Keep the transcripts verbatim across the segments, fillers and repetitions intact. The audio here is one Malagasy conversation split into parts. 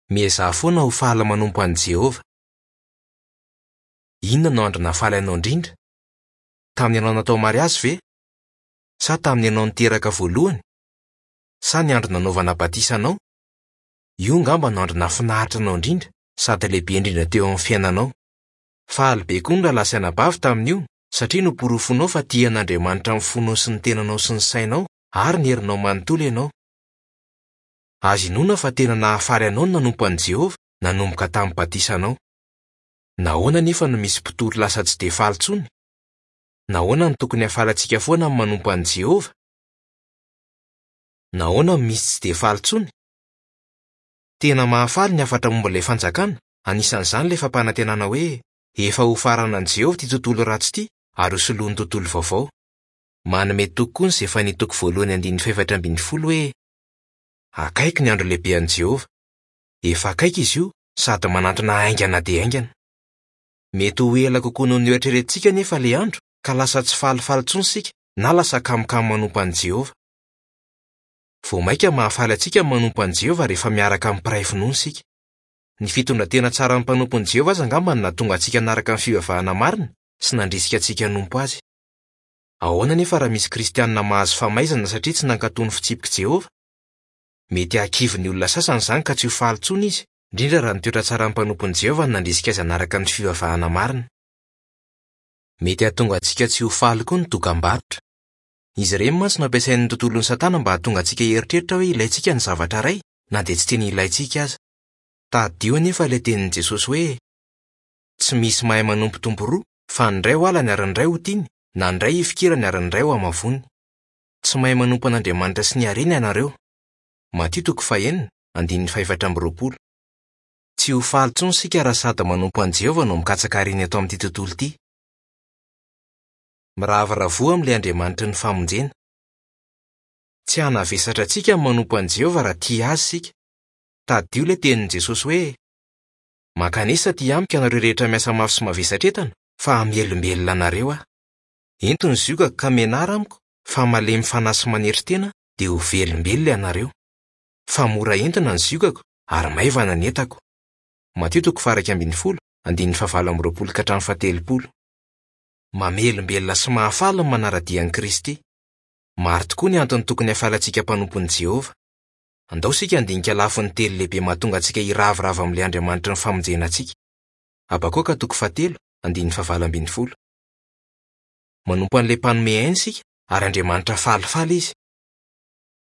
Miezaha foana ho faly manompo an'i Jehovah. Inona no andro nahafaly anao indrindra? Tamin'ny ianao natao mariazy ve? Sa tamin'ny ianao niteraka voalohany? Sa ny andro nanaovana batisa anao? Io angamba no andro nahafinaritra anao indrindra sady lehibe indrindra teo amin'ny fiainanao. Faly be koa ny rahalahy sy anabavy tamin'io satria noporofonao fa tia an'Andriamanitra amin'ny fonao sy ny tenanao sy ny sainao ary ny herinao manontolo ianao. Azo inoana fa tena nahafaly anao ny nanompo an'i Jehovah nanomboka tamin'ny batisanao. Nahoana anefa no misy mpitory lasa tsy dia faly intsony? Nahoana no tokony hahafaly antsika foana ny manompo an'i Jehovah? Nahoana no misy tsy dia faly intsony? Tena mahafaly ny hafatra momba ilay Fanjakana, anisan'izany ilay fampanantenana hoe efa hofaranan'i Jehovah ity tontolo ratsy ity ary hosoloany tontolo vaovao. Manome toky koa ny Zefania toko voalohany andininy fahefatra ambin'ny folo hoe akaiky ny andro lehibe an'i Jehovah. Efa akaiky izy io sady manantona haingana dia haingana. Mety ho ela kokoa noho ny eritreretintsika anefa ilay andro ka lasa tsy falifaly intsony isika na lasa kamokamo manompo an'i Jehovah. Vao mainka mahafaly antsika ny manompo an'i Jehovah rehefa miaraka amin'ny mpiray finoana isika. Ny fitondran-tena tsaran'ny mpanompon'i Jehovah aza angamba no nahatonga antsika hanaraka ny fivavahana marina sy nandrisika antsika hanompo azy. Ahoana anefa raha misy kristianina mahazo famaizana satria tsy nankatò ny fitsipik'i Jehovah? Mety hahakivy ny olona sasany izany ka tsy ho faly intsony izy, indrindra raha ny toetra tsaran'ny mpanompon'i Jehovah no nandrisika azy hanaraka ny fivavahana marina. Mety hahatonga antsika tsy ho faly koa ny dokam-barotra. Izy ireny mantsy no ampiasain'ny tontolon'i Satana mba hahatonga antsika hieritreritra hoe ilaintsika ny zavatra iray na dia tsy tena ilaintsika aza. Tadidio anefa ilay tenin'i Jesosy hoe tsy misy mahay manompo tompo roa fa ny iray ho halany ary ny iray ho tiany, na ny iray hifikirany ary ny iray ho hamavoany. Tsy mahay manompo an'Andriamanitra sy ny harena ianareo. Matio toko fahenina, andininy fahefatra amby roapolo. Tsy ho faly intsony isika raha sady manompo an'i Jehovah no mikatsaka harena eto amin'ity tontolo ity. Miravoravoa amin'ilay Andriamanitry ny famonjena. Tsy hanavesatra antsika ny manompo an'i Jehovah raha tia azy isika. Tadidio ilay tenin'i Jesosy hoe mankanesa aty amiko ianareo rehetra miasa mafy sy mavesatra entana fa hamelombelona anareo aho. Ento ny ziogako ka mianara amiko fa malemy fanahy sy manetry tena dia ho velombelona ianareo. Fa mora entina ny ziogako ary maivana ny entako. Matio toko faha iraika ambin'ny folo, andininy fahavalo amby roapolo ka hatramin'ny fahatelopolo. Mamelombelona sy mahafaly ny manara-dia an'i Kristy. Maro tokoa ny antony tokony hahafaly antsika mpanompon'i Jehovah. Andao isika handinika lafiny telo lehibe mahatonga antsika hiravoravo amin'ilay Andriamanitry ny famonjena antsika. Habakoka toko fahatelo, andininy fahavalo ambin'ny folo. Manompo an'ilay mpanome aina isika ary Andriamanitra falifaly izy.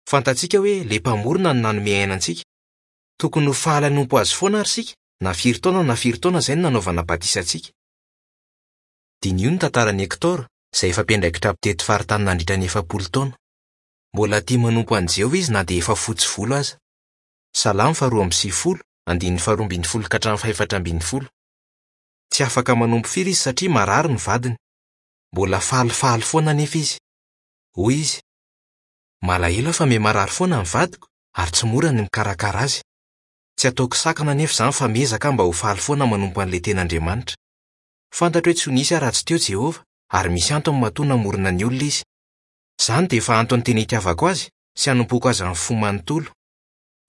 Fantatsika hoe ilay mpamorona no nanome aina antsika. Tokony ho faly hanompo azy foana ary isika, na firy taona na firy taona izay no nanaovana batisa antsika. Diniho ny tantaran'i Hector, izay efa mpiandraikitra mpitety faritany nandritra ny efapolo taona. Mbola tia manompo an'i Jehovah izy na dia efa fotsy volo aza. Salamo faharoa amby sivifolo, andininy faharoa ambin'ny folo ka hatramin'ny fahefatra ambin'ny folo. Tsy afaka manompo firy izy satria marary ny vadiny. Mbola falifaly foana anefa izy. Hoy izy: malahelo aho fa miha-marary foana ny vadiko ary tsy mora ny mikarakara azy. Tsy ataoko sakana anefa izany fa miezaka aho mba ho faly foana manompo an'ilay tena Andriamanitra. Fantatro hoe tsy ho nisy aho raha tsy teo Jehovah ary misy antony matoa namorona ny olona izy. Izany dia efa antony tena itiavako azy sy hanompoako azy amin'ny fo manontolo.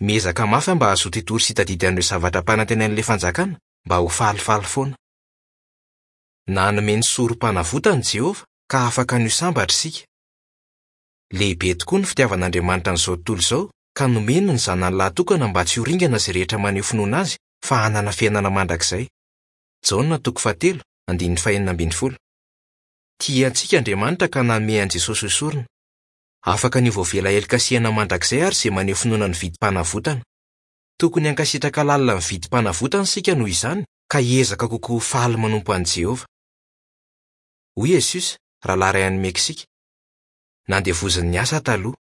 Miezaka mafy aho mba hahazoto hitory sy hitadidy an'ireo zavatra ampanantenain'ilay Fanjakana mba ho falifaly foana. Nanome ny sorom-panavotana Jehovah ka afaka ny ho sambatra isika. Lehibe tokoa ny fitiavan'Andriamanitra an'izao tontolo izao ka nomeny ny zanany lahy tokana mba tsy ho ringana izay rehetra maneho finoana azy fa hanana fiainana mandrakizay. Jaona toko fahatelo, andininy fahenina ambin'ny folo. Tia antsika Andriamanitra ka nanome an'i Jesosy ho sorona. Afaka ny ho voavela heloka sy hiaina mandrakizay ary izay maneho finoana ny vidim-panavotana. Tokony hankasitraka lalina ny vidim-panavotana isika noho izany ka hiezaka kokoa ho faly manompo an'i Jehovah. Hoy Jesosy, rahalahy iray any Meksika. Nandevozin'ny asa taloha.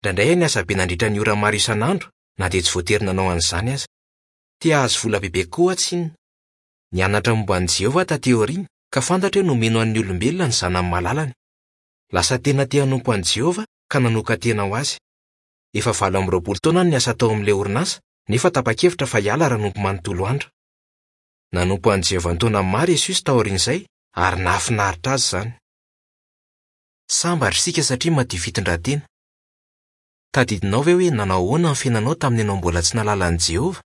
Indraindray aho niasa be nandritra ny ora maro isan'andro na dia tsy voatery nanao an'izany aza. Te hahazo vola bebe kokoa aho tsinona. Nianatra momba an'i Jehovah taty aoriana ka fantatra hoe nomeny ho an'ny olombelona ny zanany malalany. Lasa tena te hanompo an'i Jehovah ka nanokan-tena ho azy. Efa valo amby roapolo taona no niasa tao amin'ilay orinasa nefa tapa-kevitra fa hiala raha hanompo manontolo andro. Nanompo an'i Jehovah an-taona maro Jesosy taorian'izay ary nahafinaritra azy izany. Sambatra isika satria madio fitondran-tena. Tadidinao ve hoe nanao ahoana ny fiainanao tamin'ny ianao mbola tsy nahalala an'i Jehovah?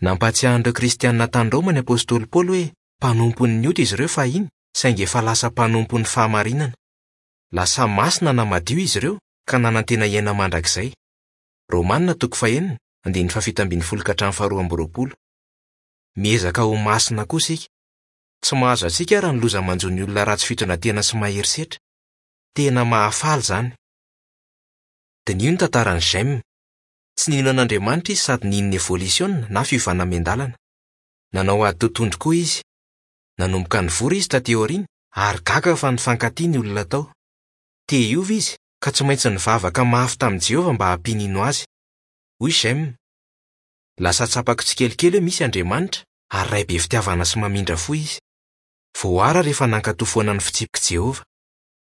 Nampahatsiahy an'ireo Kristianina tany Roma ny apostoly Paoly hoe mpanompon'ny ota izy ireo fahiny, saingy efa lasa mpanompon'ny fahamarinana. Lasa masina na madio izy ireo ka nanantena hiaina mandrakizay. Romanina toko fahenina, andininy fahafito ambin'ny folo ka hatramin'ny faharoa amby roapolo. Miezaka ho masina koa isika. Tsy mahazo antsika raha ny loza manjo ny olona ratsy fitondran-tena sy mahery setra. Tena mahafaly izany. Diniho ny tantaran'i James. Tsy nino an'Andriamanitra izy sady nino ny evolisiona na fiovana miandalana. Nanao ady totohondry koa izy. Nanomboka nivory izy taty aoriana ary gaga fa nifankatia ny olona tao. Te hiova izy ka tsy maintsy nivavaka mafy tamin'i Jehovah mba hampinino azy. Hoy James: Lasa tsapako tsikelikely hoe misy Andriamanitra ary Ray be fitiavana sy mamindra fo izy. Voaara rehefa nankatò foana ny fitsipik'i Jehovah.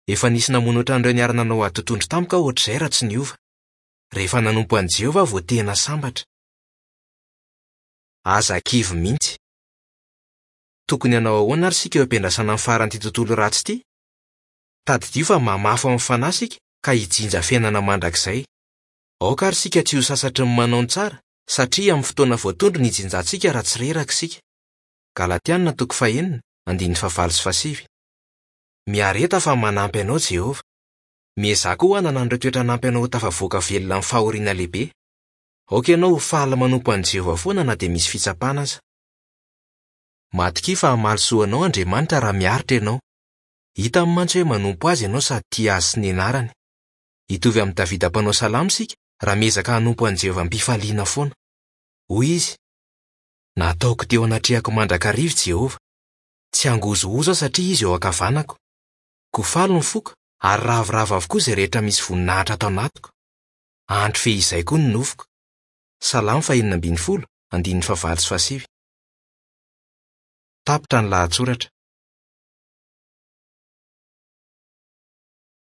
Efa nisy namono ohatran'ireo niara-nanao ady totohondry tamiko aho ohatr'izay raha tsy niova. Rehefa nanompo an'i Jehovah aho vao tena sambatra. Aza kivy mihitsy. Tokony hanao ahoana ary isika eo am-piandrasana ny faran'ity tontolo ratsy ity? Tadidio fa mamafy amin'ny fanahy isika ka hijinja fiainana mandrakizay. Aoka ary isika tsy ho sasatry ny manao ny tsara, satria amin'ny fotoana voatondro ny hijinjantsika raha tsy reraka isika. Galatiana toko fahenina, andininy fahavalo sy fahasivy. Miareta fa manampy anao Jehovah. Miezaha koa hanana an'ireo toetra hanampy anao ho tafavoaka velona amin'ny fahoriana lehibe. Aoka ianao ho faly manompo an'i Jehovah foana na dia misy fitsapana aza. Matokia fa hamaly soa anao Andriamanitra raha miaritra ianao. Hitany mantsy hoe manompo azy ianao sady tia azy sy ny anarany. Hitovy amin'i Davida mpanao salamo isika raha miezaka hanompo an'i Jehovah am-pifaliana foana. Hoy izy: Nataoko teo anatrehako mandrakariva Jehovah. Tsy hangozohozo aho satria izy eo ankavanako. Koa faly ny foko ary ravoravo avokoa izay rehetra misy voninahitra ato anatiko. Andro fehizay koa ny nofoko. Salamo fahenina ambin'ny folo, andininy fahavalo sy fahasivy. Tapitra ny lahatsoratra.